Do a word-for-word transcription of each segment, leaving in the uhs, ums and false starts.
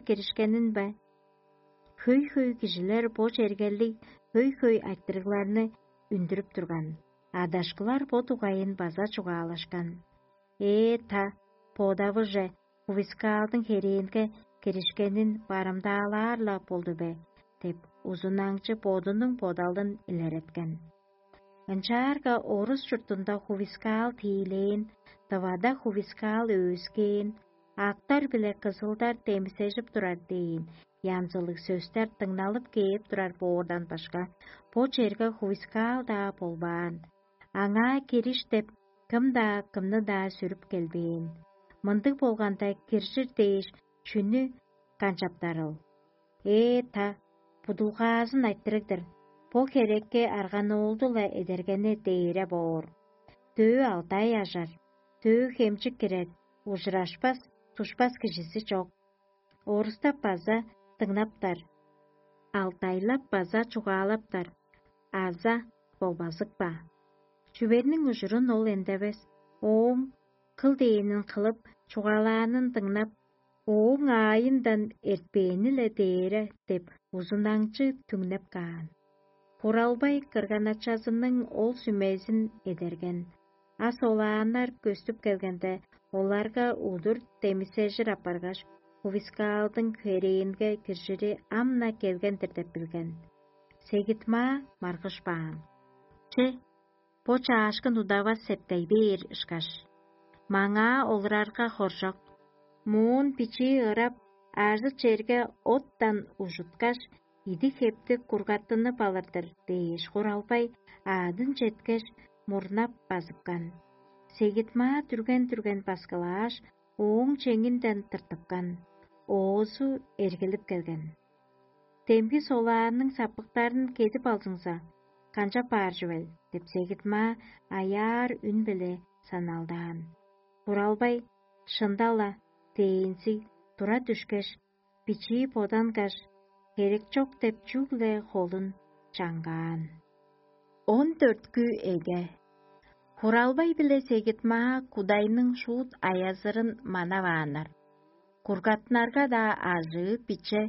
киришкенин бе? Хөй-хөй кижилер бо чергелиг хөй-хөй айтырыгларны үндүрүп турган, адашкылар бо дугайын база чугаалашкан. Ээ-та, бодавыже, хувискаалдың херээнге киришкенин барымдаалаар-ла болду бе? — деп, узунаңчы бодунуң бодалын илереткен. Ынчаарга орус чуртунда хувискаал тиилээн, тывада хувискаал өөскээн, актар биле кызылдар демисежип турар дээн янзылыг сөстер дыңналып кээп турар боордан башка, бо черге хувискаал-даа болбаан. Аңаа кириш деп кым-даа кымны-даа сүрүп келбээн. Мындыг болганда, киржир дээш, чүнү канчаптарыл? Ээ-та, будулгаазын айтырыг-дыр. Бо херекке арганоолду-ла эдергени дээре боор. Дөө алдай ажар, дөө хемчик кирер, ужурашпас, тушпас кижизи чок. Орустап база дыңнаптар, алтайлап база чугаалаптар, аза болбазык ба? Чүверниң ужурун ол эндевес, ооң кыл дээнин кылып, чугаалаанын дыңнап, ооң аайындан эртпээни-ле дээре деп узунаңчы түңнеп каан. Хуралбай кырганачазының ол сүмезин эдерген. А солааннар көстүп келгенде, оларга удур демисежир апаргаш, хувискаалдың херээнге киржири ам-на келген-дир деп билген. Сегитмаа маргышпаан. Че, бо чаашкын удавас септей бээр ышкаш. Маңаа олурарга хоржок. Моон бичии ырап, ажы черге оттан ужуткаш, идиг-хептиг кургаттынып алыр-дыр дээш, Хуралбай аадын четкеш, мурнап базыпкан. Сегитмаа дүрген-дүрген баскылааш, ооң чеңинден тыртыпкан, оозу эргилип келген. «Демги солаанның сапыктарын кедип алзыңза, канчап баар чүвел?» — деп Сегитмаа аяар үн-биле саналдаан. Хуралбай: «Шында-ла», — дээнзиг тура дүшкеш, бичии бодангаш, херек чок деп чүгле холун чаңгаан. Он дөрткү эге. Хуралбай биле Сегитмаа кудайның шуут аязырын манавааннар. Кургаттынарга-даа ажыы биче,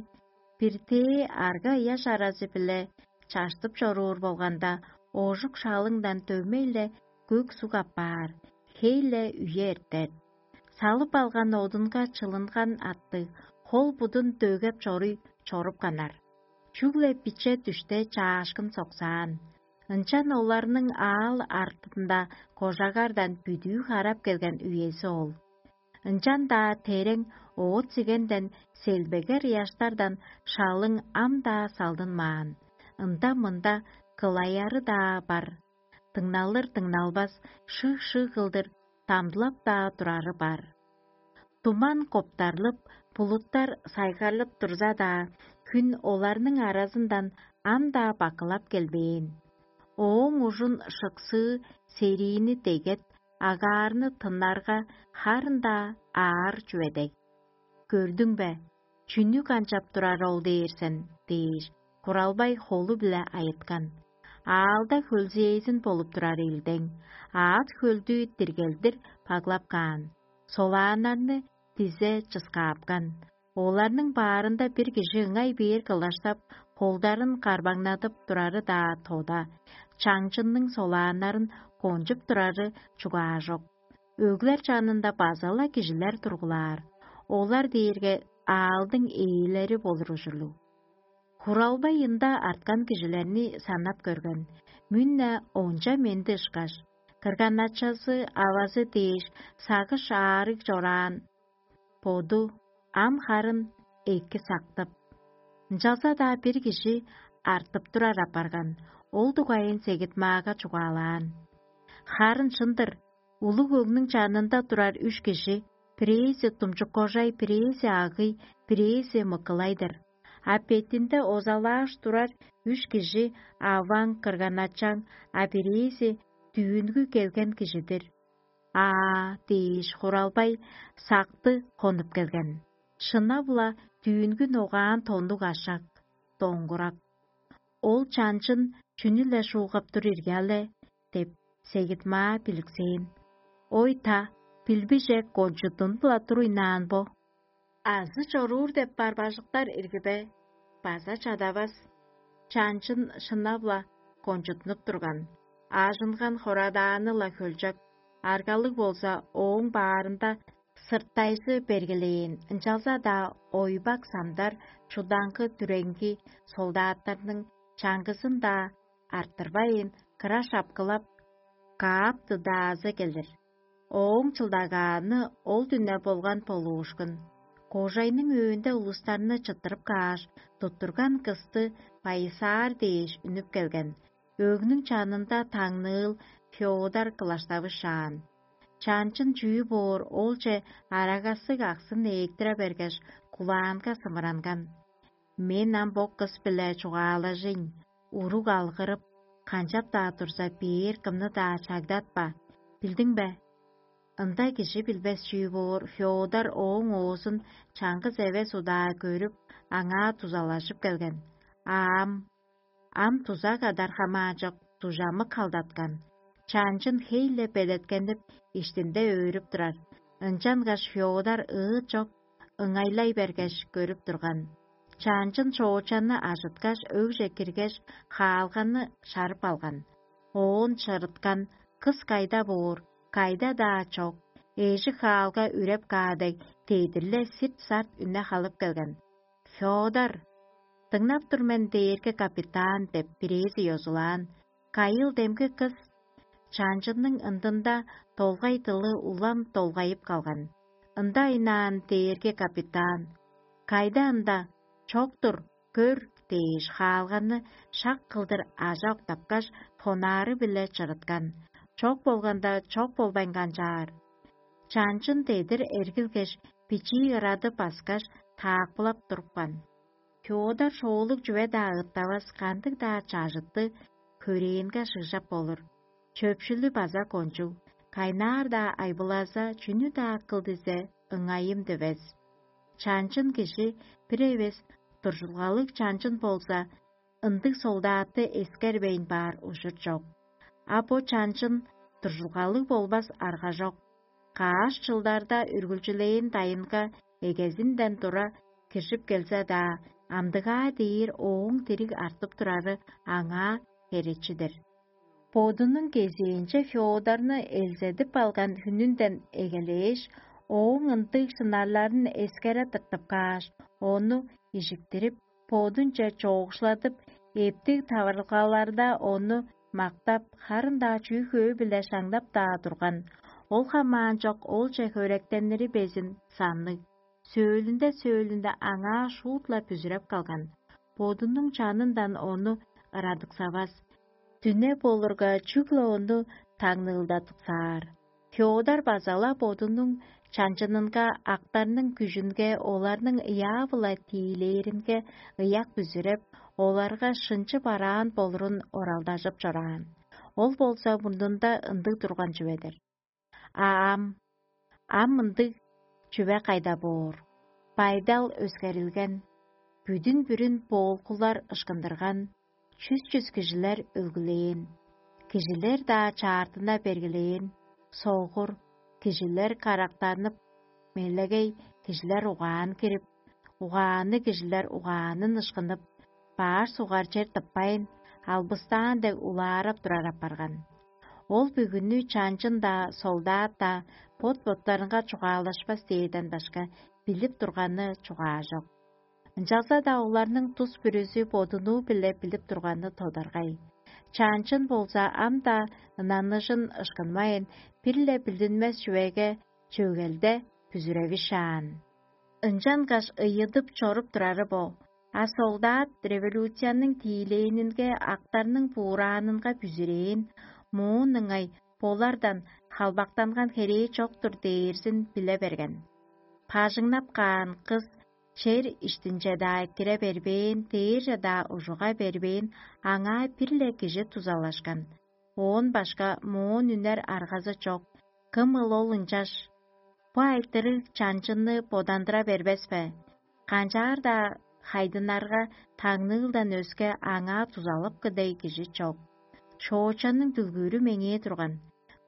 биртээ арга-ыяш аразы-биле чаштып чоруур болганда, оожук шалыңдан дөмей-ле көк суг аппаар, хей-ле үе эртер. Салып алган одунга чылынган аттыг, хол-будун дөгеп чоруй чорупканнар. Чүгле биче дүште чаашкын соксаан. Ынчан оларның аал артында кожагардан бүдүү харап келген үези ол. Ынчан-даа терең оът-сигенден, селбегер ыяштардан шалың ам-даа салдынмаан, ында-мында кылаяры-даа бар, дыңналыр-дыңналбас шыг-шыг кылдыр дамдылап-даа турары бар. Туман коптарлып, булуттар сайгарлып турза-даа, хүн оларның аразындан ам-даа бакылап келбээн. Ооң ужун шыксыы сериини дегет, агаарны тыннарга харын-даа аар чүве дег. «Көрдүң бе, чүнү канчап турар ол дээр сен?» — дээш, Куралбай холу-биле айыткан. Аалда хөлзээзин болуп турар илдең, аът хөлдү диргелдир баглап каан, солааннарны дизе чыскаапкан. Оларның баарында бир кижи ыңай бээр кылаштап, холдарын карбаңнадып турары-даа тода, чаңчынның солааннарын кончуп турары чугаажок. Өглер чанында база-ла кижилер тургулаар, олар дээрге аалдың ээлери болур ужурлуг. Хуралбай ында арткан кижилерни санап көрген, мүн-не онча менди ышкаш, кырган-ачазы, авазы дээш сагыш аарыг чораан, боду ам харын эки сактып. Ынчалза-даа бир кижи артып турар апарган, ол дугайын Сегит-Маага чугаалаан. Харын шын-дыр, улуг өгнүң чанында турар үш кижи, бирээзи думчук-кожай, бирээзи агый, бирээзи мыкылай-дыр. А бетинде озалааш турар үш кижи аваң, кырган-ачаң, а бирээзи дүүнгү келген кижи-дир. «Аа» дээш, Хуралбай сакты хонуп келген. Шынап-ла, дүүнгү ногаан тоннуг ашак, доңгурак. «Ол чанчын чүнү-ле шуугап тур ирги але?» — деп, Сегит-Маа биликсээн. «Ой-та, билбиже кончудун-ла тур ыйнаан бо». Азы чоруур деп бар бажыктар ирги бе? База чадавас. Чанчын шынап-ла кончуттунуп турган, аажынган хорадааны-ла хөлчок, аргалыг болза ооң баарында сыртайжы бергилээн, ынчалза-даа ойбак самдар чудаңгы дүреңги солдаттарның чаңгызын-даа арттырбайн, кыра шапкылап, каап-дыдаазы келир. Ооң чылдагааны ол дүне болган болуушкун. Кожайның өөнде улустарны чыттырып кааш, туттурган кысты байысаар дээш үнүп келген. Өөгнүң чанында таңныыл Феодор кылаштавышаан. Чанчын чүү боор олче арагасыг аксын ээктире бергеш, кулаанга сымыранган: «Мен ам бо кыс-биле чугаалажыйн, уруг алгырып, канчап-даа турза, бээр кымны-даа чагдатпа, билдиң бе?» Ында кижи билбес чүү боор, Феодор ооң оозун чаңгыс эвес удаа көрүп, аңаа дузалажып келген. А ам, ам дуза кадар хамаанчок дужамык халдаткан. Чанчын хей-ле белеткенип, иштинде өөрүп турар. Ынчангаш Феодор ыыт чок ыңайлай бергеш, көрүп турган. Чанчын чоочанны ажыткаш, өгже киргеш, хаалганы шарып алган. Оон чырыткан: «Кыс кайда боор? Кайда-даа чок. Эжик хаалга үреп каа дег, дедир-ле сирт-сарт үне халып келген». «Фёдор, дыңнап тур мен, дээрге капитан» — деп, бирээзи ёзулаан. «Кайыл демги кыс?» Чанчынның ындында долгай дылы улам долгайып калган. «Ында ыйнаан, дээрге капитан». «Кайда ында?» «Чок-тур, көр» — дээш, хаалганы шак кылдыр ажа октапкаш, фонары-биле чырыткан. Чок болганда, чок болбайн канчаар. Чанчын дедир эргилгеш, бичии ырады баскаш, таакпылап турупкан. Фёдор шоолуг чүве-даа ыттавас, кандыг-даа чажытты хөрээнге шыгжап болур. Чөпшүлү база кончуг, кайнаар-даа айбылаза, чүнү-даа кыл дизе, ыңайым дивес. Чанчын кижи бир эвес дуржулгалыг чанчын болза, ындыг солдатты эскербейн баар ужур чок. А бо чанчын дуржулгалыг болбас арга чок. Каш чылдарда үргүлчүлээн дайынга эгезинден тура киржип келзе-даа, амдыгаа дээр ооң дириг артып турары аңаа херечи-дир. Бодунуң кезээнче Фёдорну элзедип алган хүнүнден эгелээш, ооң ындыг шынарларын эскере тыртып кааш, ону ижиктирип, бодунче чоокшуладып, эптиг таварылгаларда ону мактап, харын-даа чүү-хөө-биле шаңнап-даа турган. Ол хамаан чок олче хөректенири безин санныг. Сөөлүнде-сөөлүнде аңаа шуут-ла бүзүреп калган. Бодунуң чанындан ону ырадыксавас. Дүне болурга, чүгле ону таңныылдадыксаар. Фёдор база-ла бодунуң чанчынынга, актарның күжүнге, оларның ыяа-биле тиилээринге ыяк бүзүреп, оларга шынчы бараан болурун оралдажып чораан. Ол болза мурнунда ындыг турган чүве-дир. А ам, ам ындыг чүве кайда боор? Байдал өскерилген, бүдүн-бүрүн боолгулар ышкындырган, чүс-чүс кижилер өлгүлээн, кижилер-даа чаартына бергилээн, согур, кижилер карактанып, мелегей кижилер угаан кирип, угаанныг кижилер угаанын ышкынып, баш сугар чер тыппайн, албыстаан дег улаарап турар апарган. Ол бүгүнү чанчын-даа, солдат-даа бот-боттарынга чугаалашпас дээрден башка билип турганы чугаажок. Ынчалза-даа оларның тус бүрүзү бодунуу-биле билип турганы тодаргай. Чанчын болза ам-даа ынаныжын ышкынмайн, бир-ле билдинмес чүвеге чөгелде бүзүревишаан. Ынчангаш ыйыдып чоруп турары бо. А солдат революцияның тиилээнинге, актарның буураанынга бүзүрээн, моон ыңай болардан халбактанган херээ чок-тур дээрзин биле берген. Бажыңнап каан кыс чер иштинче-даа кире бербээн, дээрже-даа ужуга бербээн, аңаа бир-ле кижи дузалашкан. Оон башка моон үнер аргазы чок. Кымыл ол ынчаш? Бо айтырыг чанчынны бодандыра бербес бе? Канчаар-даа хайдынарга таңныылдан өске аңаа дузалыпкы дег кижи чок. Шоочанның дүлгүүрү меңээ турган.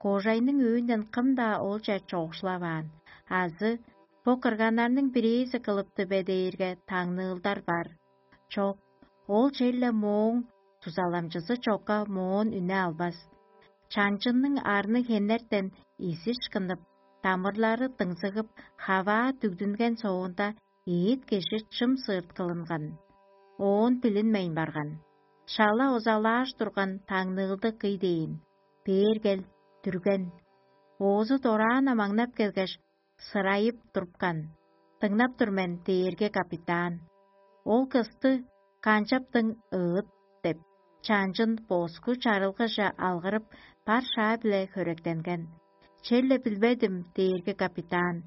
Кожайның өөнүнден кым-даа олче чоокшулаваан азы Бо кырганнарның бирээзи кылыпты бе дээрге таңныылдар бар. Чок, ол черле мооң дузаламчызы чокка моон үне албас. Чанчынның арны хенертен изиш кынып, дамырлары дыңзыгып, хаваа дүгдүнген соонда, эът кижи чым сыырткылынган. Оон билинмейн барган. Шала озалааш турган таңныылды кый дээн: «Бээр кел, дүрген». Оозу дораан амаңнап келгеш, сырайып турупкан: «Дыңнап тур мен, дээрге капитан. Ол кысты канчаптың ыыт?» — деп, чанчын боску чарылгыже алгырып, бар шаа-биле хөректенген. «Черле билбедим, дээрге капитан.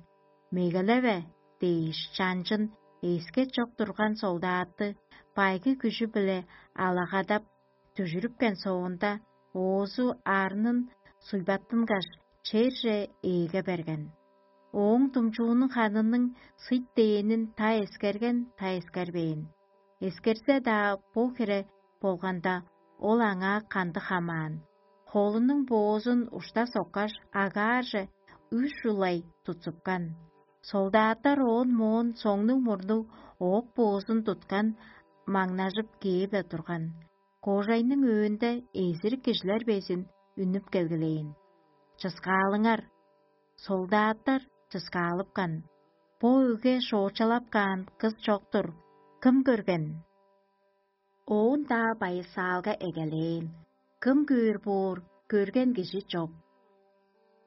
Мегелеве» — дээш, чанчын эске чок турган солдаатты байгы күжү-биле алагадап, дүжүрүпкен соонда, оозу арнын суйбаттынгаш, черже ээге берген. Ооң думчуунуң ханының сыйт дээнин та эскерген, та эскербээн. Эскерзе-даа, бо хире болганда, ол аңаа кандыг хамаан. Холунуң боозун ушта соккаш, агаарже үш улай тутсупкан. Солдаттар оон моон соңнуг-мурнуг оок боозун туткан, маңнажып кээп-ле турган. Кожайның өөнде эзирик кижилер безин үнүп келгилээн: «Чыскаалыңар!» Солдаттар чыскаалыпкан: «Бо өгге шоочалап каан кыс чок-тур. Кым көрген?» Оон-даа байысаалга эгелээн: «Кым көөр боор, көрген кижи чок.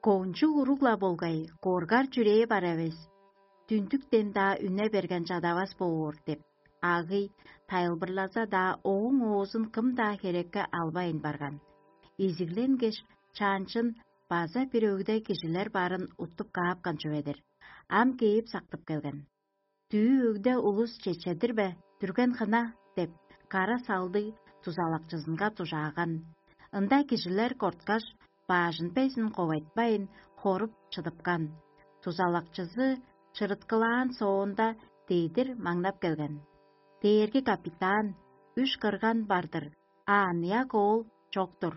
Кончуг уруг-ла болгай, коргар чүрээ бар эвес, дүндүктен-даа үне берген чадавас боор» — деп, агый тайылбырлаза-даа, ооң оозун кым-даа херекке албайн барган. Изигленгеш, чанчын база бир өгде кижилер барын уттуп каапкан чүве-дир. Ам кээп сактып келген. «Дүъ өгде улус чечедир бе, дүрген хына?» — деп, кара салдыг дузалакчызынга дужааган. Ында кижилер корткаш, баажын безин ковайтпайн, хоруп чыдыпкан. Дузалакчызы чырыткылаан соонда, дедир маңнап келген: «Дээрги капитан, үш кырган бар-дыр, а аныяк оол чок-тур».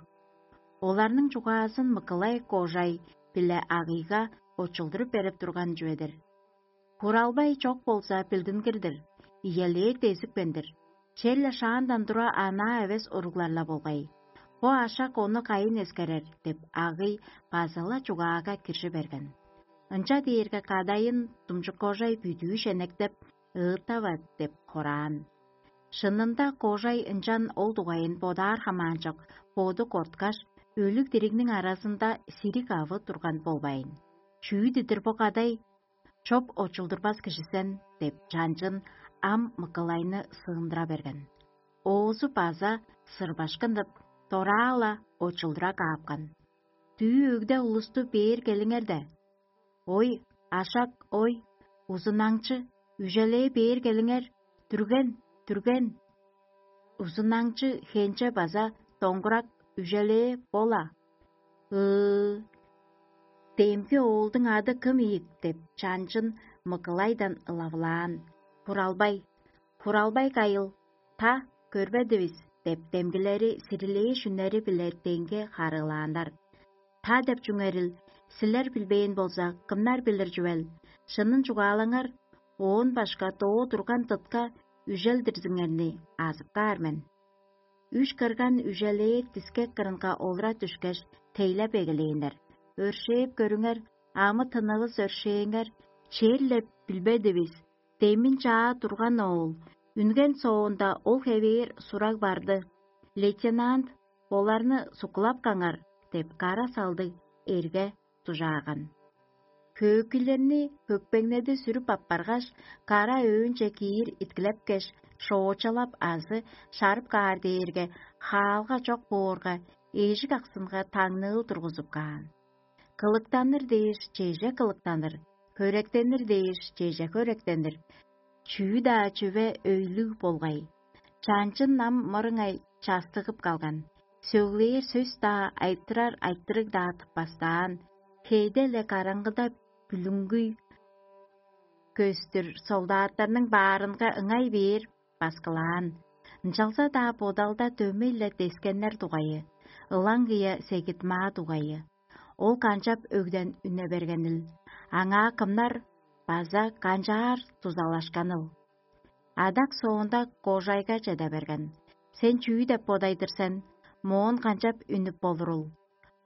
Оларның чугаазын Мыкылай кожай-биле агыйга очулдуруп берип турган чүве-дир. «Хуралбай чок болза, билдингир-дир, иелээр дезипкен-дир. Черле шаандан тура анаа эвес уруглар-ла болгай. Бо ашак ону кайын эскерер?» — деп, агый база-ла чугаага киржи берген. Ынча дээрге кадайын думчуккожай бүдүү шенектеп: «Ыыттава» — деп хораан. Шынында, кожай ынчан ол дугайын бодаар хамаанчок, боду корткаш, өлүг-диригниң аразында сириг авы турган болбайн. «Чүү-дидир бо кадай? Чоп очулдурбас кижи сен» — деп, чанчын ам Мыкылайны сыындыра берген. Оозу база сырбашкынып, дораа-ла очулдура каапкан: «Дүъ өгде улусту бээр келиңер де». «Ой, ашак, ой, узунаңчы, үжелээ бээр келиңер, дүрген, дүрген». Узунаңчы хенче база доңгурак үжелээ бола. «Ыы, демги оолдуң ады кым ийик?» — деп, чанчын Мыкылайдан ылавылаан. «Хуралбай, Хуралбай кайыл, та көрбедивис» — деп, демгилери сирилээш үннери-биле деңге харыылааннар. «Та деп чүңерил, силер билбээн болза, кымнар билир чүвел? Шынын чугаалаңар, оон башка доо турган дытка үжелдирзиңерни азып каар мен». Үш кырган үжелээр дискек кырынга олура дүшкеш, тейлеп эгелээннер: «Өршээп көрүңер, амы-тынывыс өршээңер, черле билбедивис, демин чаа турган оол, үнген соонда ол хевээр сураг барды. Лейтенант, оларны суккулап каңар» — деп, кара салдыг эрге дужааган. Хөөкүйлерни хөкпеңнеди сүрүп аппаргаш, кара өөнче киир иткилепкеш, шоочалап азы шарып каар дээрге, хаалга чок боорга, эжик аксынга таңныыл тургузуп каан. Кылыктаныр дээш, чеже кылыктаныр, хөректенир дээш, чеже хөректенир. Чүү-даа чүве өйлүг болгай. Чанчын ам мырыңай частыгып калган. Сөглээр сөс-даа, айтырар айтырыг-даа тыппастаан, хейде-ле караңгыда бүлүңгүй көстүр солдаттарның баарынга ыңай бээр баскылаан. Ынчалза-даа бодалда дөмей-ле дескеннер дугайы, ылаңгыя сегит-маа дугайы. Ол канчап өгден үне бергенил? Аңаа кымнар база канчаар дузалашканыл? Адак соонда кожайга чеде берген: «Сен чүү деп бодайдыр сен? Моон канчап үнүп болурул?»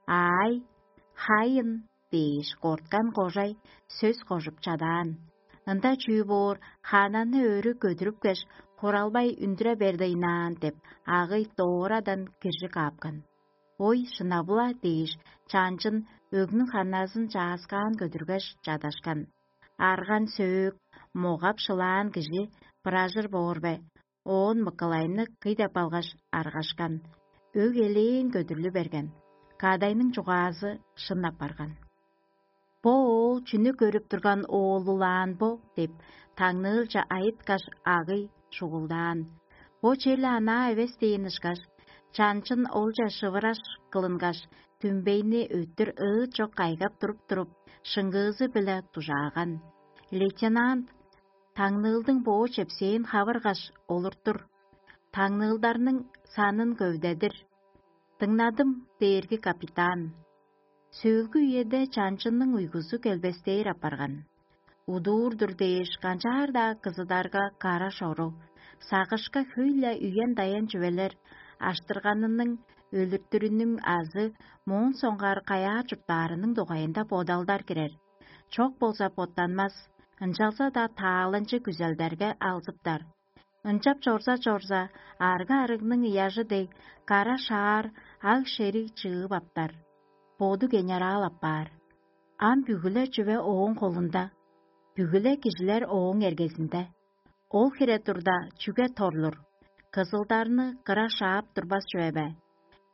«Аай, хайын» дээш, корткан кожай сөс кожуп чадаан. Ында чүү боор, хаананы өрү көдүрүпкеш, хуралбай үндүре бердейнаан деп, агый доорадан киржи каапкан. «Ой, шынап-ла» дээш, чаанчын өгнүң ханназын чааскаан көдүргеш, чадашкан. Арган-сөөк, могап-шылаан кижи быражыр боор бе? Оон мыкылайны кый деп алгаш, аргашкан. Өг элээн көдүрлү берген. Кадайның чугаазы шын апарган. «Бо оол чүнү көрүп турган оолулаан бо?» – деп, таңныылче айыткаш, агый шугулдаан. «Бо черле анаа эвес» – дээн ышкаш, чанчын олче шывыраш кылынгаш, түмбейни өттүр ыыт чок кайгап туруп-туруп, шыңгыызы-биле дужааган. Лейтенант таңныылдың боо чепсээн хавыргаш олуртур, таңныылдарның санын көвдедир. «Дыңнадым, дээрги капитан». Сөөлгү үеде чанчынның уйгузу келбестээр апарган. Удуур-дур дээш, канчаар-даа кызыдарга кара шору, сагышка хөй-ле үен-даян чүвелер аштырганының, өлүртүрүнүң азы моон соңгаар каяа чурттаарының дугайында бодалдар кирер. Чок болза боттанмас, ынчалза-даа таалынчы күзелдерге алзыптар. Ынчап чорза-чорза, арга-арыгның ыяжы дег, кара шаар аг-шериг чыып аптар. Боду генерал апаар. Ам бүгү-ле чүве ооң холунда, бүгү-ле кижилер ооң эргезинде. Ол хире турда, чүге торлур? Кызылдарны кыра шаап турбас чүве бе?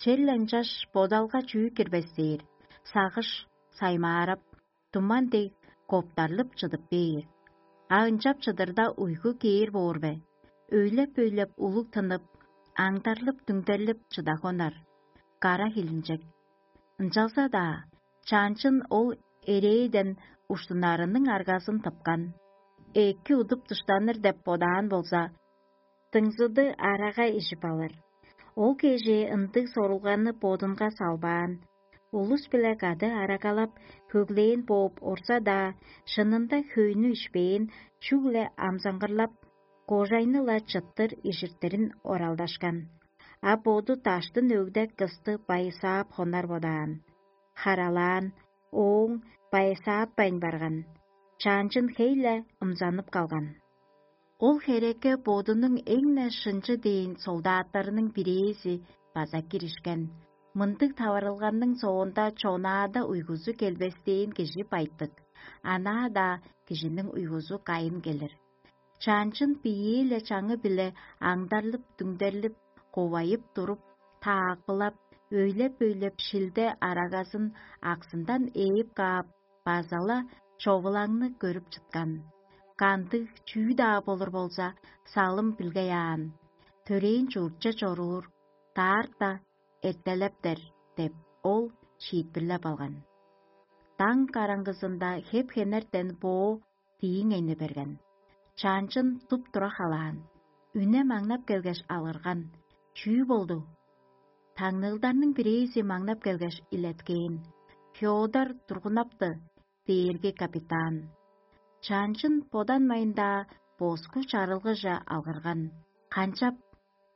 Черле ынчаш бодалга чүү кирбес дээр, сагыш саймаарап, туман дег коптарлып чыдып бээр. А ынчап чыдырда, уйгу кээр боор бе? Өйлеп-өйлеп улуг тынып, аңдарлып-дүңдерлип чыда хонар. Кара хилинчек. Ынчалза-даа, чаанчын ол эрээден уштунарының аргазын тыпкан. Эки удуп дыштаныр деп бодаан болза, дыңзыды арага ижип алыр. Ол кежээ ындыг сорулганы бодунга салбаан. Улус-биле кады арагалап, хөглээн бооп орза-даа, шынында хөйнү ишпээн, чүгле амзаңгырлап, кожайны-ла чыттыр ижиртирин оралдашкан. А боду даштын өгде кысты байысаап хонар бодаан. Харалаан, ооң байысаатпайн барган. Чаанчын хей-ле ымзанып калган. Ол херекке бодунуң эң-не шынчы дээн солдаттарының бирээзи база киришкен. Мындыг таварылганның соонда чонаада уйгузу келбестээн кижи байтык, анаа-даа кижиниң уйгузу кайын келир. Чаанчын биеэ-ле чаңы-биле аңдарлып-дүңдерлип, ковайып туруп, таакпылап, өйлеп-өйлеп шилде арагазын аксындан ээп каап, база-ла човулаңны көрүп чыткан. Кандыг чүү-даа болур болза, салым билгей аан. Төрээн чуртче чоруур, даарта эртелептер деп, ол шиитпирлеп алган. Даң караңгызында хеп-хенертен боо дииңейни берген. Чаанчын туп-тура халаан. Үне маңнап келгеш алырган: «Чүү болду?» Таңныылдарның бирээзи маңнап келгеш илеткээн: «Феодор тургунапты, дээрги капитан». Чаанчын боданмайн-даа боску чарылгыже алгырган: «Канчап,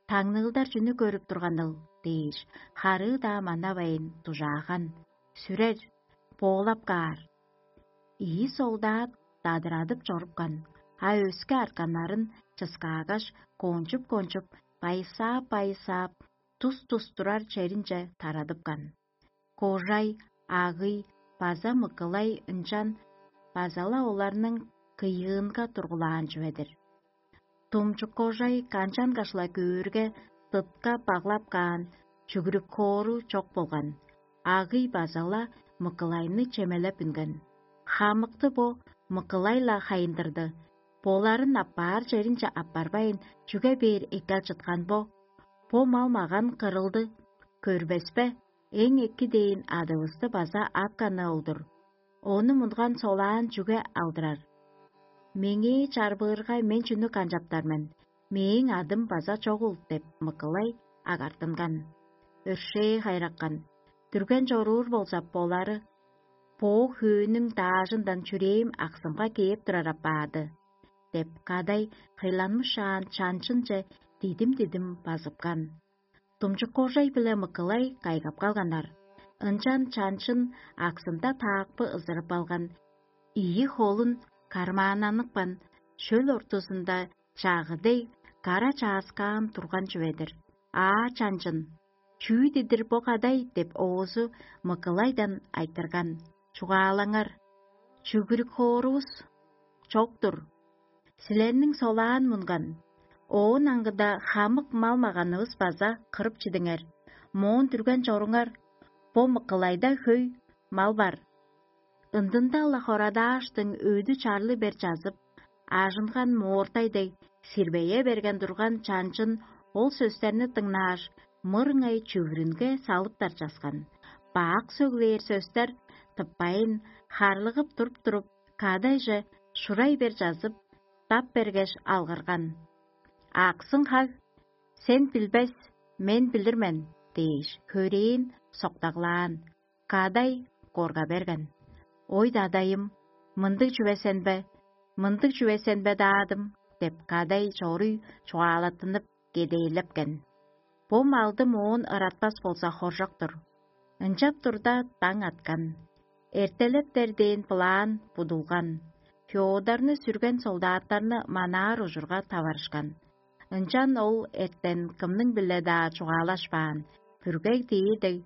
таңныылдар чүнү көрүп турганыл?» – дээш, харыы-даа манавайн дужааган: «Сүрер, боолап каар». Ийи солдат дадырадып чорупкан, а өске артканнарын чыскаагаш, кончуп-кончуп, байысаап-байысаап, тус-тус турар черинче тарадыпкан. Кожай, агый база мыкылай ынчан база-ла оларның кыйыынга тургулаан чүве-дир. Думчук кожай канчангаш-ла көөрге, дытка баглап каан, чүгүрүк хоору чок болган. Агый база-ла мыкылайны чемелеп үнген. Хамыкты бо мыкылай-ла хайындырды. Боларын аппаар черинче аппарбайн, чүге бээр эккел чыткан бо? Бо мал-маган кырылды, көрбес бе? Эң эки дээн адывысты база апканы ол-дур. Ону мунган солаан чүге алдырар? Меңээ чарбыырга, мен чүнү канчаптар мен? Мээң адым база чогул деп, мыкылай агартынган. Өршээ хайраккан. Дүрген чоруур болза, болары боо хөөнүң даажындан чүрээм аксымга кээп турар апаады» — деп, кадай хыйланмышаан чанчынче дидим-дидим базыпкан. Думчуккожай биле Мыкылай кайгап калганнар. Ынчан чанчын аксында таакпы ызырып алган, ийи холун кармааннаныкпан, шөл ортузунда чагы дег кара чааскаан турган чүве-дир. «Аа, чанчын, чүү дидир бо кадай?» — деп, оозу Мыкылайдан айтырган. «Чугаалаңар, чүгүрүк хоорувус чок-тур. Силерниң солаан мунган, оон аңгыда хамык мал-маганывыс база кырып чидиңер. Моон дүрген чоруңар, бо Мыкылайда хөй мал бар». Ындында-ла хорадааштың өдү чарлы бер чазып, ажынган моортай дег сирбее берген турган чанчын ол сөстерни дыңнааш, мырыңай чүвүрүнге салыптар часкан. Бак сөглээр сөстер тыппайын, харлыгып туруп-туруп, кадайже шурай бер чазып, тап бергеш алгырган: «Аксың хаг, сен билбес, мен билир мен» — дээш, хөрээн соктаглаан. Кадай корга берген: «Ой, дадайым, мындыг чүве сен бе? Мындыг чүве сен бе, даадым?» — деп, кадай чоруй чугаалаттынып, кедээлепкен. Бо малды моон ыратпас болза, хоржок-тур. Ынчап турда, даң аткан. Эртелептер дээн былаан будулган. Феодорну сүрген солдаттарны манаар ужурга таварышкан. Ынчан ол эртен кымның-биле-даа чугаалашпаан, бүргей дээр дег,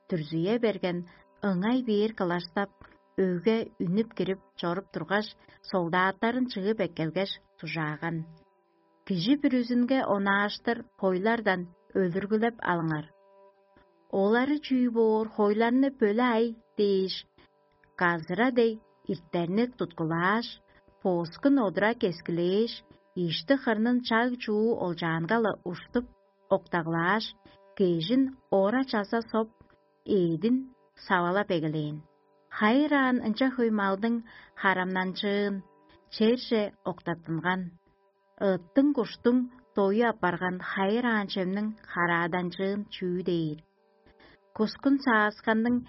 дүрзүе берген, ыңай бээр кылаштап, өйге үнүп кирип чоруп тургаш, солдаттарын чыып эккелгеш, дужааган: «Кижи бүрүзүнге онааштыр хойлардан өлүргүлеп алыңар. Олары чүү боор, хойларны бөле ай» — дээш, газыра дег ирттерни туткулааш, поскун одура кескилээш, ишти-хырнын чаг-чуу олчаанга-ла уштуп, октаглааш, кежин ора чаза соп, эъдин савалап эгелээн. Хайыраан ынча хөй малдың харамнанчыын черже октаттынган. Ыттың-куштуң дою апарган хайыраан чемниң харааданчыын чүү дээр? Кускун саасканның,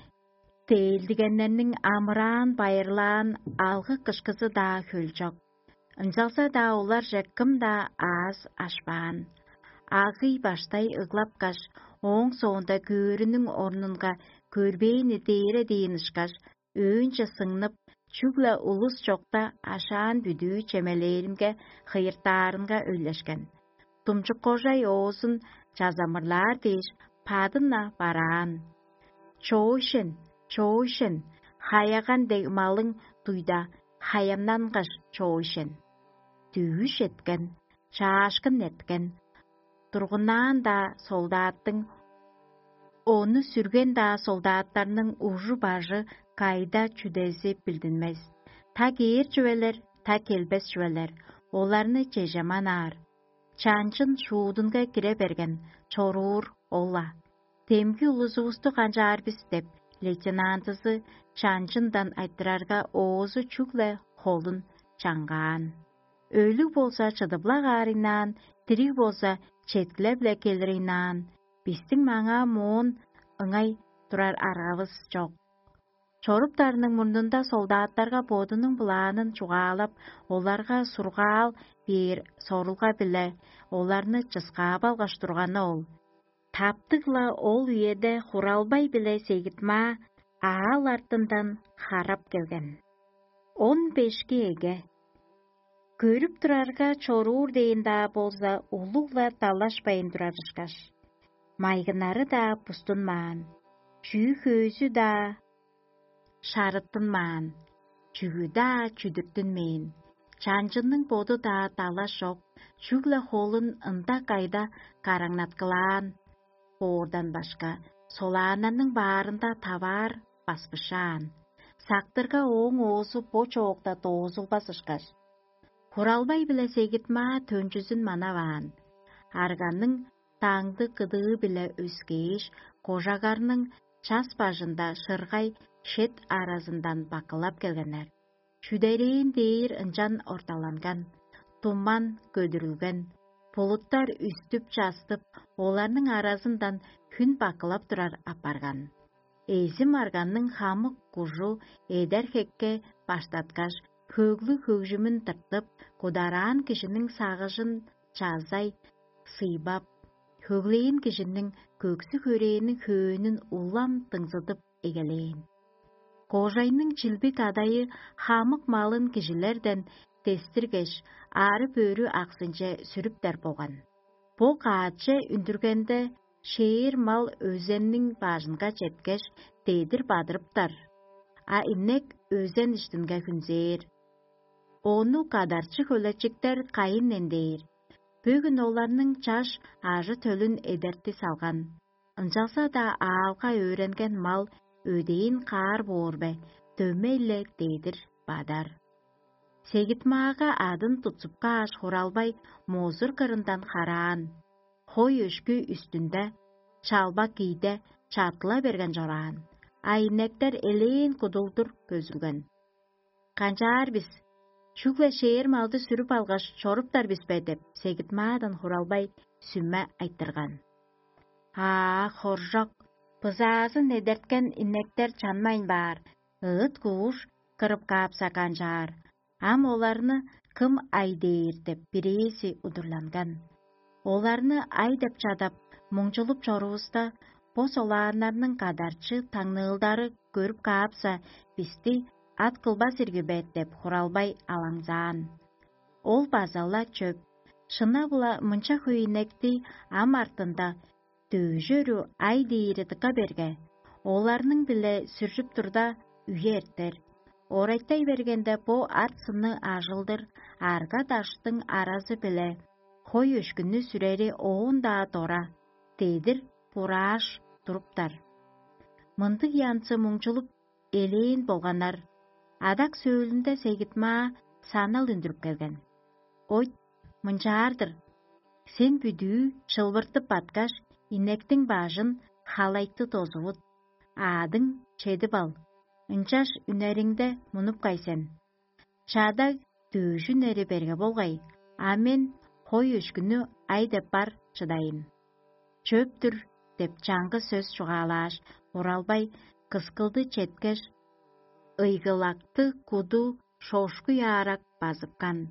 тээлдигеннерниң амыраан-байырлаан алгы-кышкызы-даа хөлчок. Ынчалза-даа оларже кым-даа аъс ашпаан. Агый баштай ыглапкаш, ооң соонда көөрүнүң орнунга көрбээни дээре дээн ышкаш, өөнче сыңнып, чүгле улус чокта ашаан бүдүү чемелээринге хыйыртаарынга өйлешкен. Думчуккожай оозун чазамырлаар дээш, бадын-на бараан. «Чоойшен, чоойшен, хаяган дег малың дуйда, хаямнангаш чоойшен». Дүвүш эткен, чаашкын эрткен, тургуннаан-даа солдаттың, ону сүрген-даа солдаттарның ужу-бажы, кайда чүдези билдинмес. Та кээр чүвелер, та келбес чүвелер, оларны чежеманаар. Чанчын шуудунга кире берген, чоруур ол-ла. «Демги улузувусту канчаар бис?» — деп, лейтенантызы чанчындан айтырарга, оозу чүгле холун чаңгаан. «Өлүг болза, чыдып-ла каарыйнаан, дириг болза, четкилеп-ле келиринаан, бистиң маңаа моон ыңай турар аргавыс чок». Чоруптарының мурнунда солдаттарга бодунуң планын чугаалап, оларга сургаал бээр сорулга-биле оларны чыскаап алгаш турганы ол. Таптыг-ла ол үеде Хуралбай биле Сегит-Маа аал артындан харап келген. Он бешки эге. Көрүп турарга, чоруур дээн-даа болза, улуг-ла далашпайн турар ышкаш. Майгыннары-даа бустунмаан, чүү-хөөзү-даа шарыттынмаан, чүгү-даа чүдүртүнмээн, чанчынның боду-даа далаш чок, чүгле холун ында-кайда караңнаткылаан боордан башка, солааннарның баарында таваар баспышаан. Сактырга ооң оозу бо чоокта доозулбас ышкаш. Хуралбай биле Сегит-Маа төнчүзүн манаваан. Арганның таңды кыдыы-биле өскээш, кожагарның час бажында шыргай шет аразындан бакылап келгеннер. Чүдерээн дээр ынчан орталанган. Туман көдүрүлген. Булуттар үстүп-частып, оларның аразындан хүн бакылап турар апарган. Эзим арганның хамык кужу эдер хекке баштаткаш, хөглүг хөгжүмүн тыртып, кудараан кижиниң сагыжын чазай сыйбап, хөглээн кижиниң көксү-хөрээниң хөөнүн улам дыңзыдып эгелээн. Кожайның чилбик адайы хамык малын кижилерден дестиргеш, аарып-өрү аксынче сүрүптер болган. Бо каачче үндүргенде, шээр мал өзенниң бажынга четкеш, дедир бадырыптар, а инек өзен иштинге хүнзээр. Ону кадарчы хөлечиктер кайын эндээр. Бөгүн оларның чаш ажы-төлүн эдерти салган. Ынчалза-даа аалга өөренген мал өдээн каар боор бе, дөмей-ле дедир бадар. Сегитмаага адын тутсуп кааш, хуралбай музур кырындан хараан, хой өшкү үстүнде, чалбак кийде чартыла берген чораан, а инектер элээн кудулдур көзүлген. «Канчаар бис? Чүгле шээр малды сүрүп алгаш, чоруптар бис бе?» — деп, Сегитмаадан хуралбай сүме айтырган. «Аа, хоржок, бызаазын эдерткен инектер чанмайн баар, ыыт-кууш кырып каапса канчаар? Ам оларны кым ай дээр?» — деп, бирээзи удурланган. Оларны ай деп чадап, муңчулуп чорувуста, бо солааннарның кадарчы таңныылдары көрүп каапса, бисти ат кылбас ирги бе деп, хуралбай алаңзаан. Ол база-ла чөп. Шынап-ла, мынча хөй инекти ам артында дөжүрү ай диири дыка берге, оларның-биле сүржүп турда, үе эртер. Орайтай бергенде, бо арт сынны ажылдыр арга-даштың аразы-биле хой өшкүннү сүрери оон-даа дора, дедир бурааш туруптар. Мындыг янзы муңчулуп элээн болганнар. Адак сөөлүнде Сегитмаа санал үндүрүп келген. «Ойт, мынчаар-дыр: сен бүдүү чылбыртып баткаш, инектиң бажын халайтты дозувут, аадың чедип ал, ынчаш үнериңде мунуп кай сен. Чадаг дөөжүн эри берге болгай, а мен хой өшкүнү ай деп бар чыдайын». «Чөп-түр» — деп чаңгыс сөс чугаалааш, уралбай кыскылды четкеш, ыйгылакты куду шошкуй аарак базыпкан.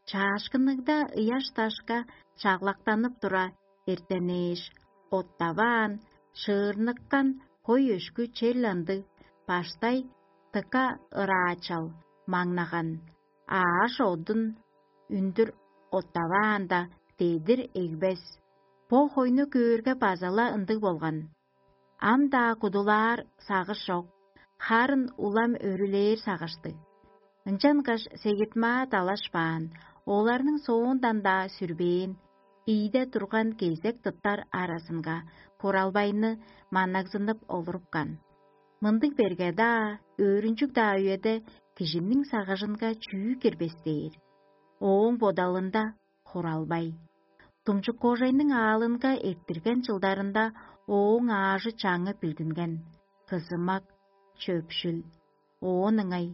Чаашкынныг-даа ыяш-дашка чаглактанып тура эртенээш, оттаваан, шыырныккан хой өшкү чел ындыг, баштай дыка ыраачал маңнаган, ааш одун үндүр оттаваанда, дедир эгбес. Бо хойну көөрге база-ла ындыг болган. Ам-даа кудулаар сагыш чок, харын улам өрүлээр сагыштыг. Ынчангаш Сегитмаа далашпаан, оларның соондан-даа сүрбээн, ийде турган кезек тыптар аразынга куралбайны маннагзынып олурупкан. Мындыг берге-даа, өөрүнчүг-даа үеде кижиниң сагыжынга чүү кирбес дээр? Ооң бодалында хуралбай. Думчук-кожайның аалынга эрттирген чылдарында ооң аажы-чаңы билдинген: кызымак, чөпшүл. Оон ыңай: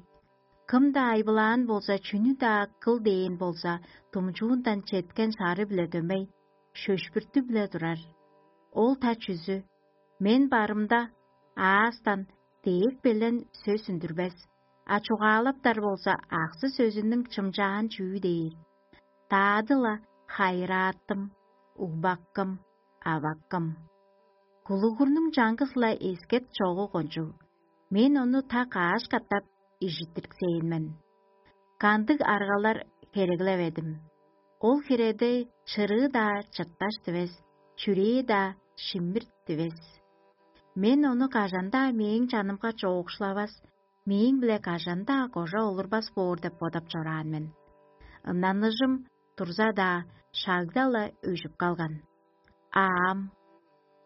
«Кым-даа айбылаан болза, чүнү-даа кыл дээн болза, думчуундан четкен шары-биле дөмей, шөшпүртү-биле турар. Ол-та чүзү? Мен барымда, аастан дээк белен сөс үндүрбес, а чугаалаптар болза, аксы-сөзүнүң чымчаан чүү дээр? Даады-ла хайырааттым, угбаккым, аваккым. Кулугурнуң чаңгыс-ла эскет чогу кончуг, мен ону та кааш катап ижиттириксээн мен. Кандыг аргалар хереглеведим? Ол хиреде чырыы-даа чырташ дивес, чүрээ-даа шиммирт дивес. Мен ону кажан-даа мээң чанымга чоокшулавас, мээң-биле кажан-даа кожа олурбас боор деп бодап чораан мен. Ыннаныжым турза-даа, шагда-ла өжүп калган. Аам,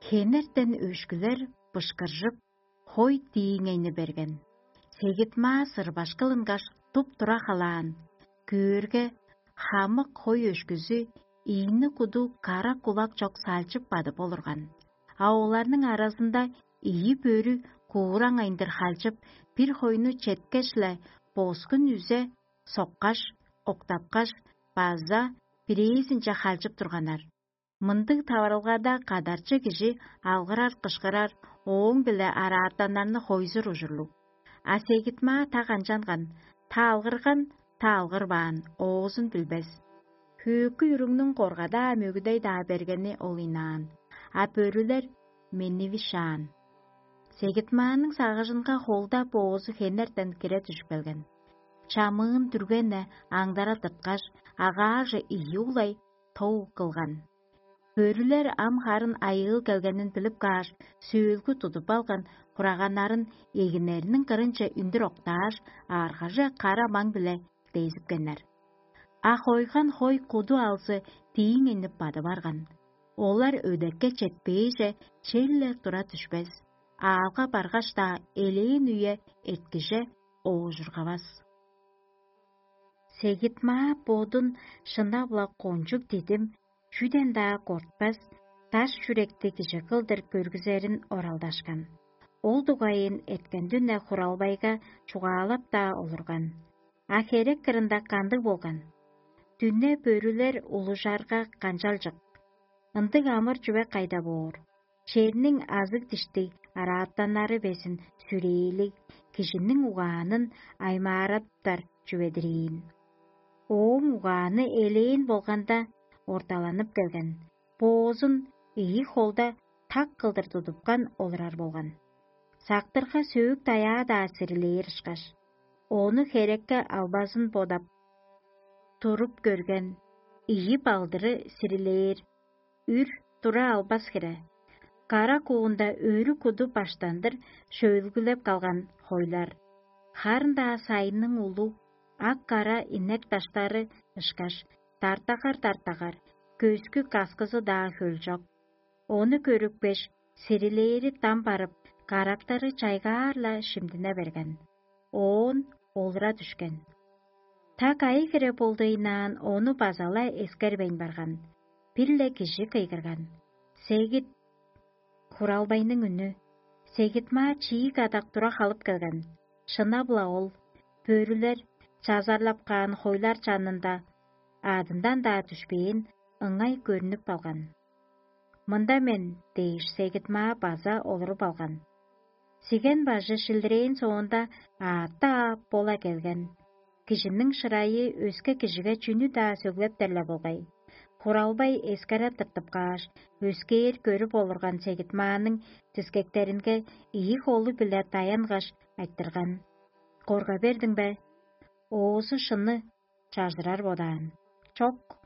хенертен өшкүлер бышкыржып, хой дииңейни берген. Сегит-маа сырбаш кылынгаш, туп-тура халаан. Көөрге, хамык хой өшкүзү ийни куду кара кулак чок салчып бадып олурган. А оларның аразында ийи бөрү куураң айындыр халчып, бир хойну четкеш-ле, боскун үзе соккаш, октапкаш, база бирээзинче халчып турганнар. Мындыг таварылгада кадарчы кижи алгырар-кышкырар, ооң-биле араатаннарны хойзур ужурлуг. А сегитмаа та канчанган, та алгырган, та алгырбаан, оозун билбес. Хөөкүй уругнуң коргадаа мөгүдей-даа бергени ол ыйнаан, а бөрүлер менивишаан. Сегитмааның сагыжынга холда боозу хенертен кире дүжүп келген. Чамыын дүрген-не аңдара тырткаш, агааже ийи улай тоо кылган. Бөрүлер ам харын айыыл келгенин билип кааш, сөөлгү тудуп алган хураганнарын эгинериниң кырынче үндүр октааш, ааргаже кара маң-биле дезипкеннер. А хойган хой куду алзы дииң иннип бады барган. Олар өдекке четпээже, черле тура дүшпес, аалга баргаш-даа элээн үе эрткиже оожургавас. Сегит-маа бодун шынап-ла кончуг дидим, чүден-даа кортпас, даш чүректи кижи кылдыр көргүзерин оралдашкан. Ол дугайын эрткен дүне хуралбайга чугаалап-даа олурган. А херек кырында кандыг болган? Дүне бөрүлер улужарга канчалчык? Ындыг амыр чүве кайда боор? Черниң азыг-диштиг араатаннары безин сүрээлиг, кижиниң угаанын аймаараптар чүве-дир ийин. Ооң угааны элээн болганда орталанып келген, боозун ийи холда так кылдыр тудупкан олурар болган. Сактырга сөөк-даяа-даа сирилээр ышкаш, ону херекке албазын бодап, туруп көрген, ийи балдыры сирилээр, үр тура албас хире. Кара куунда өрү куду баштандыр шөөлгүлеп калган хойлар. Харын-даа сайынның улуг, ак-кара инек даштары ышкаш, дартагар-дартагар, көскү каскызы-даа хөлчок. Ону көрүпкеш, сирилээри дам барып, карактары чайгаар-ла шимдине берген. Оон олура дүшкен. Та кайы хире болдуйнаан ону база-ла эскербейн барган. Бир-ле кижи кыйгырган: «Сегит!» Хуралбайның үнү. Сегит-маа чиик адак тура халып келген. Шынап-ла ол, бөрүлер, чазарлап каан хойлар чанында, адындан-даа дүшпээн, ыңай көрнүп калган. «Мында мен» – дээш, сегит-маа база олуруп алган. Сиген бажы шилдирээн соонда, аътты аап, бола келген. Кижиниң шырайы өске кижиге чүнү-даа сөглептер-ле болгай. Хуралбай эскере тыртып кааш, өскээр көрүп олурган сегит-мааның дискектеринге ийи холу-биле даянгаш, айтырган: «Корга бердиң бе?» Оозу шынны чажырар бодаан: «Чок».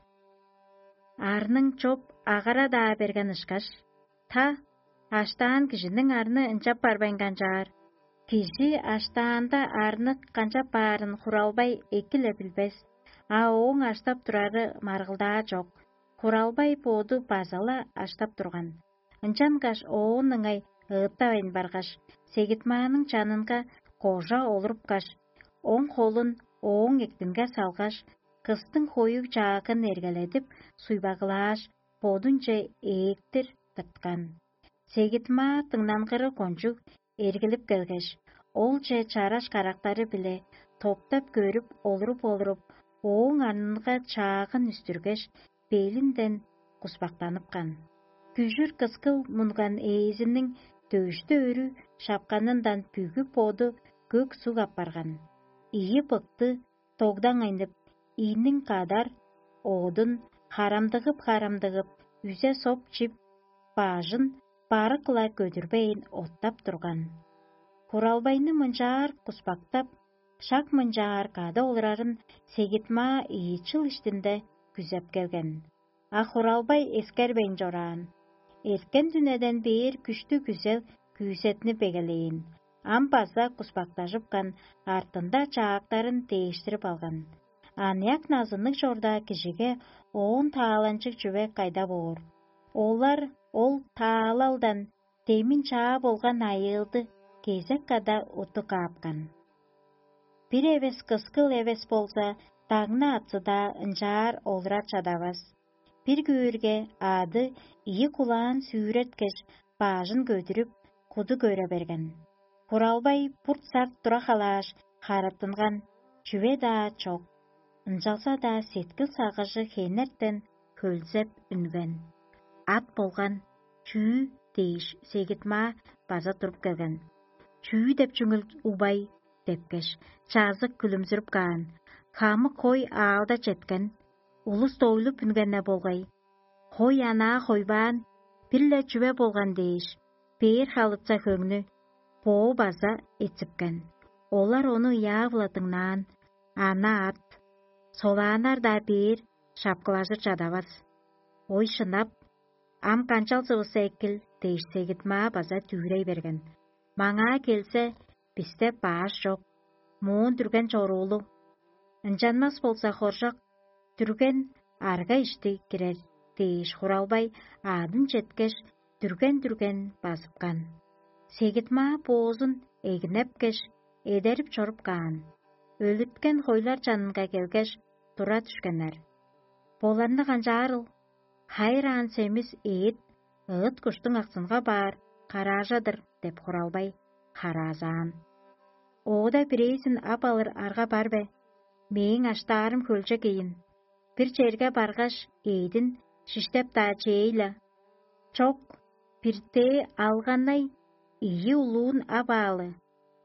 Арның чоп агара-даа берген ышкаш: «Та, аштаан кижиниң арны ынчап барбайн канчаар». Кижи аштаанда арны канчап баарын хуралбай эки-ле билбес, а ооң аштап турары маргылдаа чок. Хуралбай боду база-ла аштап турган. Ынчангаш оон ыңай ыыттавайн баргаш, сегит-мааның чанынга кожа олурупкаш, оң холун ооң эктинге салгаш, кыстың хоюг чаагын эргеледип, суйбагылааш, бодунче ээктир тырткан. Сегит-маа дыңнангыры кончуг эргилип келгеш, олче чараш карактары-биле топтап көрүп олуруп-олуруп, ооң арнынга чаагын үстүргеш, белинден куспактаныпкан. Күжүр кыскыл мунган ээзиниң дөөштү өрү шапканындан бүгү боду көк суг апарган. Ийи быкты тогдаңайнып, ийниң кадар оодун харамдыгып-харамдыгып, үзе соп чип, бажын барык-ла көдүрбейн оттап турган. Хуралбайны мынчаар куспактап, шак мынчаар кады олурарын сегит-маа ийи чыл иштинде күзеп келген. А хуралбай эскербейн чораан. Эрткен дүнеден бээр күштүг күзел күүсетни бегелээн, ам база куспактажыпкан, артында чаактарын дээштирип алган. Аныяк назынныг чорда кижиге оон тааланчыг чүве кайда боор? Олар ол таалалдан демин чаа болган айыылды кезек када уттуп каапкан. Бир эвес кыскыл эвес болза, дагны атсы-даа ынчаар олура чадавас. Бир көөрге, ады ийи кулаан сүүреткеш, баажын көдүрүп, куду көре берген. Хуралбай бурт-сарт тура халааш, харыттынган, чүве-даа чок. Ынчалза-даа сеткил-сагыжы хенертен хөлзеп үнген. ат болган чүү дээш, сегит-маа база туруп келген. «Чүү деп чүңүл, убай?» – депкеш, чазык күлүмзүрүп каан: «Хамык хой аалда четкен, улус дойлуп үнген-не болгай. Хой анаа хойбаан, бир-ле чүве болган дээш, бээр халыца хөңнү боо база эципкен. Олар ону ыяа-биле дыңнаан, ана ат, солааннар-даа бээр шапкылажыр чадавас. Ой, шынап, ам канчалзывыс экил?» – дээш, сегит-маа база дүвүрей берген. «Маңаа келзе, бисте баш чок, моон дүрген чоруулуг. Ынчанмас болза, хоржок, дүрген арга ишти кирер» – дээш, Хуралбай аъдын четкеш, дүрген-дүрген базыпкан. Сегит-маа боозун эгинепкеш, эдерип чоруп каан. Өлүрткен хойлар чанынга келгеш, тура дүшкеннер. «Боларны канчаарыл? Хайыраан семис эът ыт-куштуң аксынга баар караажа-дыр» – деп, Хуралбай хараазаан. «Оода бирээзин ап алыр арга бар бе? Мээң аштаарым хөлчок ийин. Бир черге баргаш, эъдин шиштеп-даа чээйла». «Чок, биртээ алганнай ийи улуун ап аалы,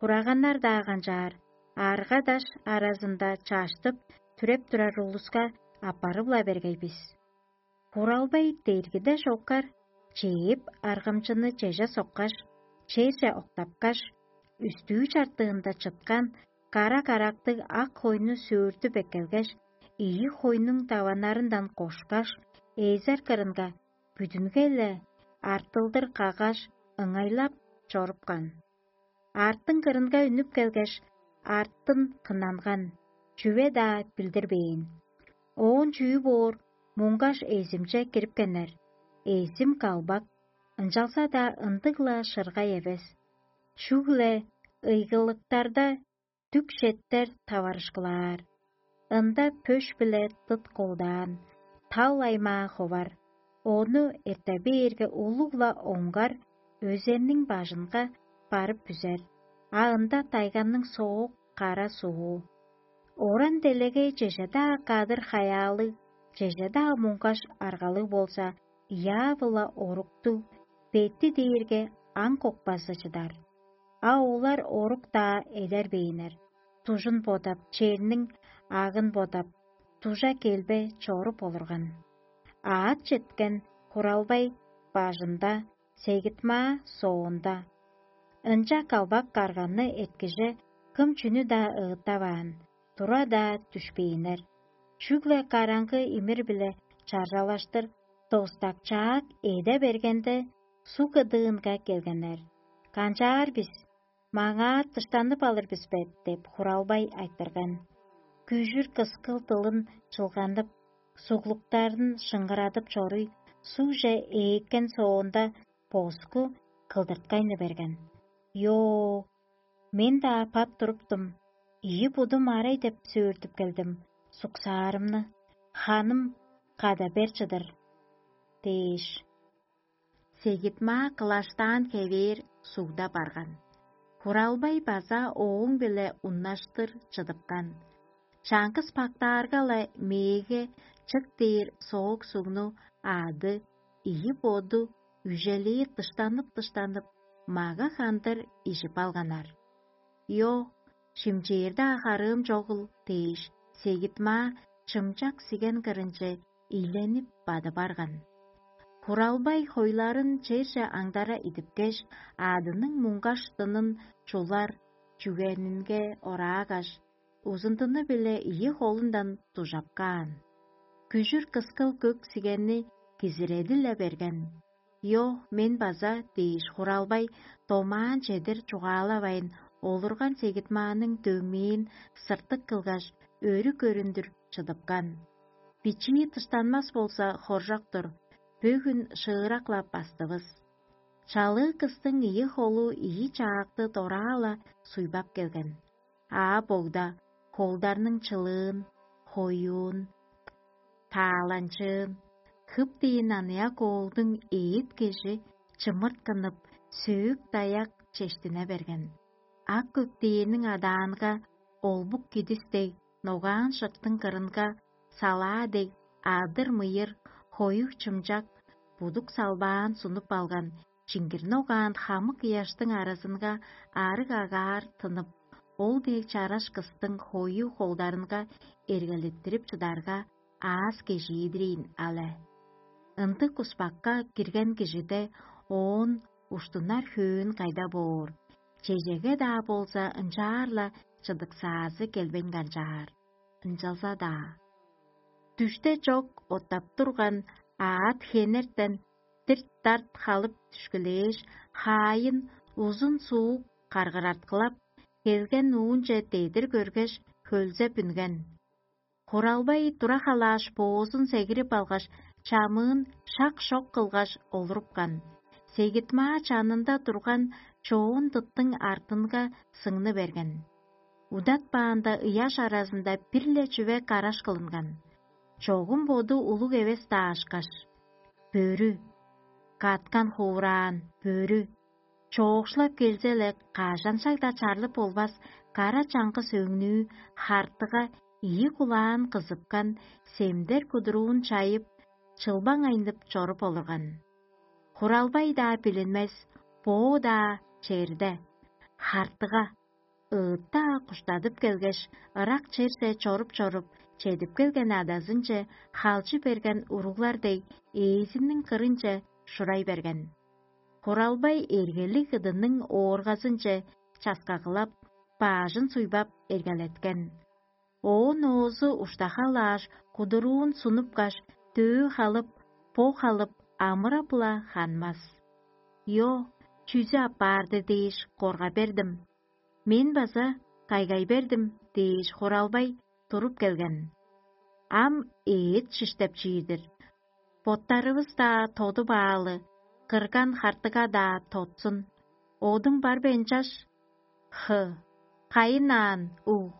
хураганнар-даа канчаар, арга-даш аразында чаштып, түреп турар улуска аппарып-ла бергей бис». Хуралбай дергиде шоккар чээп, аргамчыны чеже соккаш, черже октапкаш, үстүү чартыында чыткан кара карактыг ак хойну сөөртүп эккелгеш, ийи хойнуң даваннарындан кошкаш, эзер кырынга бүдүнге-ле артылдыр каггаш, ыңайлап чорупкан. Артын кырынга үнүп келгеш, артын кынанган, чүве-даа билдирбээн. Оон чүү боор, муңгаш эзимче кирипкеннер. Эзим калбак, ынчалза-даа ындыг-ла шыргай эвес. Чүгле ыйгылыктарда дүк четтер таварышкылаар. Ында пөш-биле дыт колдаан, тал аймаа ховар. Ону эрте бээрге, улуг-ла оңгар өзенниң бажынга барып бүзер, а ында тайганның соок кара суу. Оран-делегей чеже-даа кадыр-хаяалыг, чеже-даа муңгаш аргалыг болза, ыяа-биле оруктуг, бети дээрге аң кокпазы чыдар. А олар орук-даа эдербээннер, дужун бодап, черниң агын бодап, дужа келбе чоруп олурган. Аът четкен Хуралбай бажында, сегит-маа соонда. Ынча калбак карганны эрткиже кым чүнү-даа ыыттаваан, тура-даа дүшпээннер. Чүгле караңгы имир-биле чаржалаштыр достакчаак эде бергенде, суг кыдыынга келгеннер. «Канчаар бис? Маңаа дыштанып алыр бис бе?» – деп, Хуралбай айтырган. Күжүр кыскыл дылын чылганып, суглуктарын шыңгырадып чоруй, сугже ээккен соонда, боску кылдырткайны берген. «Йоо, мен-даа бат туруптум, ийи будум арай деп сөөртүп келдим, суксаарымны, ханым када бер чыдыр» – дээш, сегит-маа кылаштаан хевээр сугда барган. Хуралбай база ооң-биле уннаштыр чыдыпкан. Чаңгыс бактаарга-ла мээге чык дээр соок сугну аъды, ийи боду, үжелии дыштанып-дыштанып, мага хандыр ижип алганнар. «Йо, шимчээр-даа харыым чогул» – дээш, сегит-маа чымчак сиген кырынче ийленип бадып арган. Хуралбай хойларын черже аңдара идипкеш, аъдының муңгаш дынын чулар чүгенинге ораагаш, узундуну-биле ийи холундан дужап каан. Күжүр кыскыл көк сигенни кизиреди-ле берген. «Йо, мен база» – дээш, Хуралбай домаан чедир чугаалавайн, олурган сегит-мааның дөмээн сыртык кылгаш, өрү көрүндүр чыдыпкан. Бичии дыштанмас болза, хоржок-тур, бөгүн шыырак-ла бастывыс. Чалыы кыстың ийи холу ийи чаакты дораа-ла суйбап келген. Аа богда холдарның чылыын, хоюун, тааланчыын, хып-диин аныяк оолдуң эът-кежи чымырткынып, сөөк-даяк чештине берген. Ак көк дээрниң адаанга олбук кидис дег, ногаан шыктың кырынга салаа дег адыр-мыйыр, хоюг-чымчак, будук салбаан сунуп алган, чиңгирни огаан хамык ыяштың аразынга арыг агаар тынып, ол дег чараш кыстың хою холдарынга эргелеттирип чыдарга, аас кежиидирейн але. Ындыг куспакка кирген кижиде оон уштунар хөөн кайда боор, чежеге-даа болза ынчаар-ла чыдыксаазы келбейн канчаар, ынчалза-даа. Дүште чок оттап турган аът хенертен дирт-дарт халып дүшкүлээш, хаайын узун суук каргыраткылап, келген уунче дедир көргеш, хөлзеп үнген. Хуралбай тура халааш, боозун сегирип алгаш, чамыын шак-шок кылгаш олурупкан. Сегитмаа чанында турган чоон дыттың артынга сыңны берген. Удатпаанда ыяш аразында бир-ле чүве караш кылынган. Чогум боду улуг эвес-даа ышкаш: «Бөрү, каткан хураан бөрү, чоокшулап келзе-ле, кажан-шагда чарлып болбас кара чаңгыс өңнүү хартыга ийи кулаан кызыпкан семдер кудуруун чайып, чылбаң айнып чоруп олурган». Хуралбай-даа билинмес, боо-даа черде. Хартыга ыытта куштадып келгеш, ырак черже чоруп-чоруп, чедип келген адазынче халчы берген уруглар дег, ээзиниң кырынче шурай берген. Хуралбай эргелиг ыдының ооргазынче часкагылап, баажын суйбап эргелеткен. Оон оозу уштахалааш, кудуруун сунупкаш, дөө халып, бо халып, амыра-була ханмас. «Йо, чүзү аппаарды дээш корга бердим, мен база кайгай бердим» дээш, Хуралбай туруп келген. Ам эът шиштеп чиир-дир. Боттарывыс-даа тодуп аалы, кырган хартыга-даа тотсун. Одуң бар бе ынчаш? Хы, кайын аан, уг,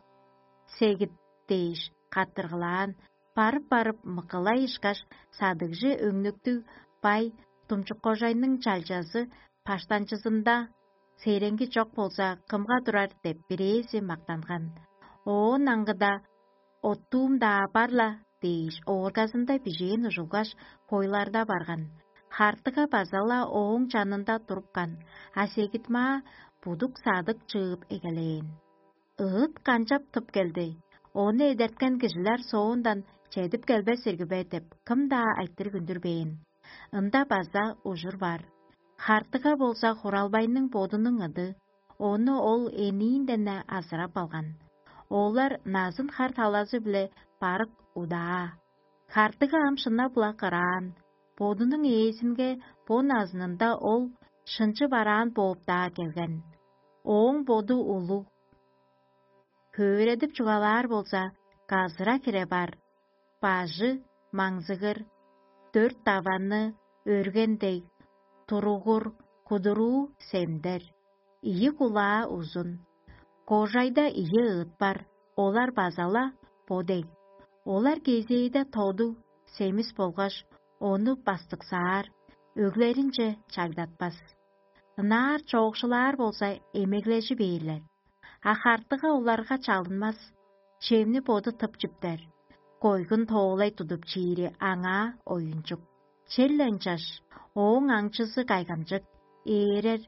сегит дээш каттыргылаан, барып-барып мыкылай ышкаш, садыгжы өңнүктүг бай Думчуккожайның чалчазы баштанчызында сереңги чок болза, кымга турар деп бирээзи мактанган. Оон аңгыда: «Оттуум-даа бар-ла» дээш, ооргазында бижээн ужулгаш, хойларда барган. Хартыга база-ла ооң чанында турупкан, а сегитмаа будук садык чыып эгелээн. Ыыт канчап тып келди, ону эдерткен кижилер соондан чедип келбес ирги бе деп, кым-даа айтырыг үндүрбээн. Ында база ужур бар. Хартыга болза Хуралбайның бодунуң ыды, ону ол эниинден-не азырап алган. Олар назын хар талазы-биле барык удаа. Хартыга ам шынап-ла кыраан, бодунуң ээзинге бо назынында ол шынчы бараан бооп-даа келген. Ооң боду улуг. Хөөредип чугаалаар болза, газыра хире бар, бажы маңзыгыр, дөрт даваны өрген дег, туругур, кудуруу семдер, ийи кулаа узун. Кожайда ийи ыыт бар, олар база-ла бо дег. Олар кезээде тоду семис болгаш, ону бастыксаар, өглеринче чагдатпас. Ынаар чоокшулаар болза, эмеглежи бээрлер. А хартыга оларга чалынмас, чемни боду тып чиптер. Койгун тоолай тудуп чиири аңаа оюнчук. Черле ынчаш, ооң аңчызы кайгамчык, ээрер,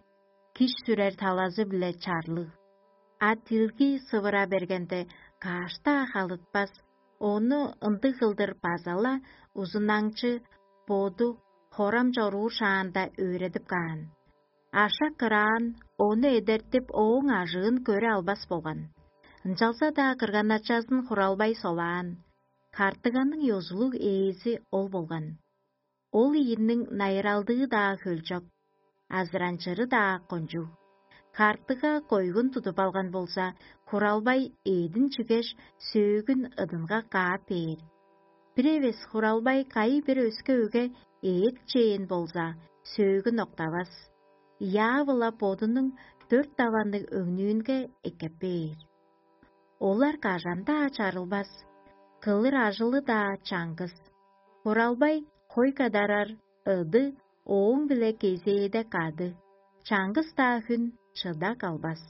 киш сүрер талазы-биле чарлыг. А дилги сывыра бергенде, каш-даа халытпас, ону ындыг кылдыр база-ла узунаңчы боду хорам чоруур шаанда өөредип каан. Ашак кыраан ону эдертип, ооң ажыын көре албас болган. Ынчалза-даа кырган-ачазын Хуралбай солаан. Хартыганың ёзулуг ээзи ол болган. Ол ийиниң найыралдыы-даа хөлчок, азыранчыры-даа кончуг. Хартыга койгун тудуп алган болза, Хуралбай эъдин чигеш, сөөгүн ыдынга каап бээр. Бир эвес Хуралбай кайы-бир өске өге эът чээн болза, сөөгүн октавас, яавыла бодунуң дөрт даванныг өңнүүнге эккеп бээр. Олар кажан-даа чарылбас, кылыр ажылы-даа чаңгыс. Хуралбай хой кадарар ыды ооң-биле кезээде кады, чаңгыс-даа хүн чыда калбас.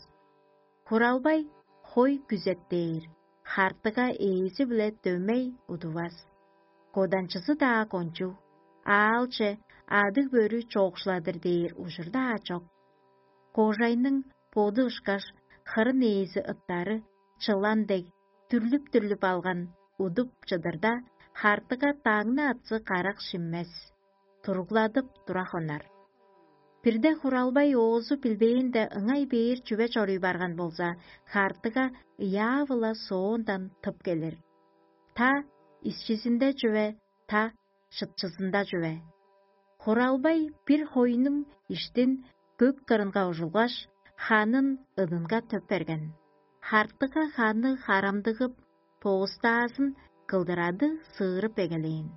Хуралбай хой күзеттээр, хартыга ээзи-биле дөмей удувас. Коданчызы-даа кончуг, аалче адыг-бөрү чоокшуладыр дээр ужур-даа чок. Кожайның боду ышкаш хырын ээзи ыттары чылан дег дүрлүп-дүрлүп алган удуп чыдырда, хартыга даңны атсы карак шиммес, туругладып тура хонар. Бирде Хуралбай оозу билбээнде ыңай бээр чүве чоруй барган болза, хартыга ыяа-выла соондан тып келир. Та исчизинде чүве, та шытчызында чүве. Хуралбай бир хойнуң иштин көк кырынга ужулгаш, ханын ыдынга төп берген. Хартыга ханы харамдыгып, поостаазын кылдырады сыырып эгелээн.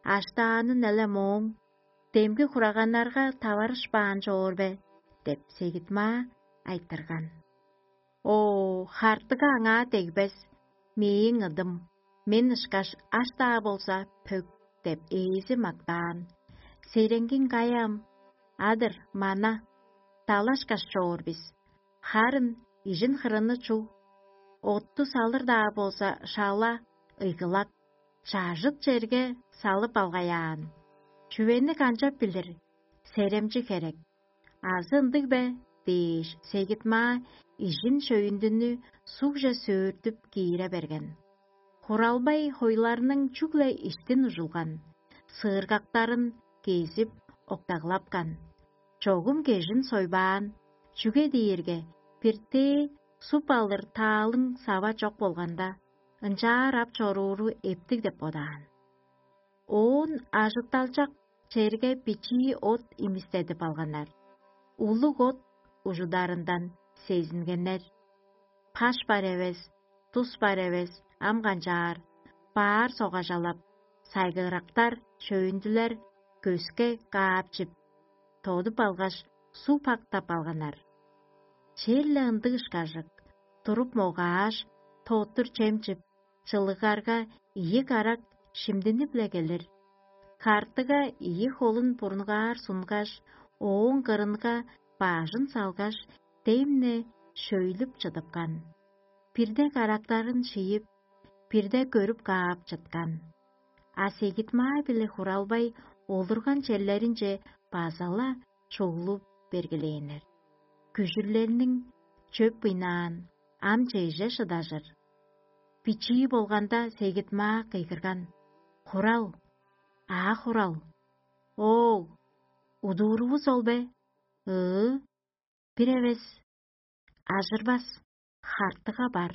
Аштаанын эле мооң, демги хураганнарга таварышпаан чоор бе? — деп Сегитмаа айтырган. Оо, хартыга аңаа дегбес, мээң ыдым, мен ышкаш аш-даа болза пөк деп ээзи мактаан. Сереңгиң каяам, адыр, мана, далашкаш чоор бис. Харын ижин хырыны чуг, отту салыр-даа болза шала, ыйгылак, чажыт черге салып алгаяан. Чүвени канчап билир, серемчи херек. Азы ындыг бе? — дээш, Сегит-маа ижин шөйүндүнү сугже сөөртүп киире берген. Хуралбай хойларның чүгле иштин ужулган, сыыргактарын кезип октаглапкан. Чогум кежин сойбаан, чүге дээрге биртээ суп алыр таалың сава чок болганда, ынчаар ап чорууру эптиг деп бодаан. Оон ажытталчак черге бичии от имистедип алганнар. Улуг от ужударындан сезингеннер. Паш бар эвес, тус бар эвес, ам канчаар, баар согажалап, сайгырактар, шөйүндүлер көске каапчып, тодуп алгаш, суг пактап алганнар. Черле ындыг ышкажык, туруп могааш, тоттур чем чип, чылыгарга ийи карак шимдини-биле келир. Картыга ийи холун бурунгаар сунгаш, ооң кырынга баажын салгаш, демне шөйлүп чыдыпкан. Бирде карактарын шиип, бирде көрүп каап чыткан. А Сегит-маа биле Хуралбай олурган черлеринче база-ла чуглуп бергилээннер. Күжүрлерниң чөп ыйнаан, ам чеже шыдажыр. Бичии болганда Сегит-маа кыйгырган: «Хурал! Аа, Хурал! Оол, удуурувус ол бе? Ыы, бир эвес, ажырбас, хартыга бар».